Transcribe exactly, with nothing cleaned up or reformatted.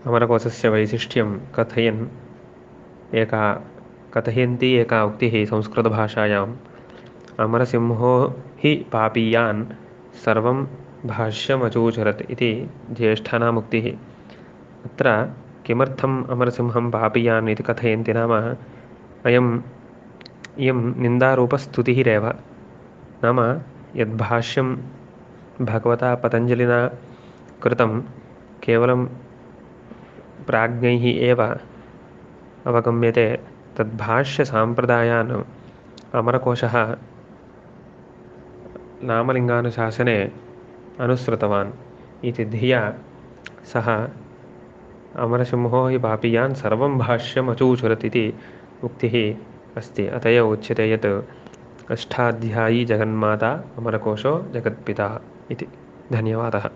अमरकोशस्य वैशिष्ट्यं कथयन् एका कथयन्ती एका उक्तिः संस्कृतभाषायाम् अमरसिंहो हि पापीयान् सर्वं भाष्यमचूचरत् इति ज्येष्ठानाम् उक्तिः। अत्र किमर्थम् अमरसिंहं पापीयान् इति कथयन्ति नाम अयम् इयं निन्दारूपस्तुतिरेव। नाम यद्भाष्यं भगवता पतञ्जलिना कृतं केवलं प्राज्ञैः एव अवगम्यते। तद्भाष्यसाम्प्रदायान् अमरकोशः नामलिङ्गानुशासने अनुसृतवान् इति धिया सः अमरसिंहो हि पापीयान् सर्वं भाष्यम् अचूचरत् इति उक्तिः अस्ति। अत एव उच्यते यत् अष्टाध्यायी जगन्माता अमरकोशो जगत्पिता इति। धन्यवादः।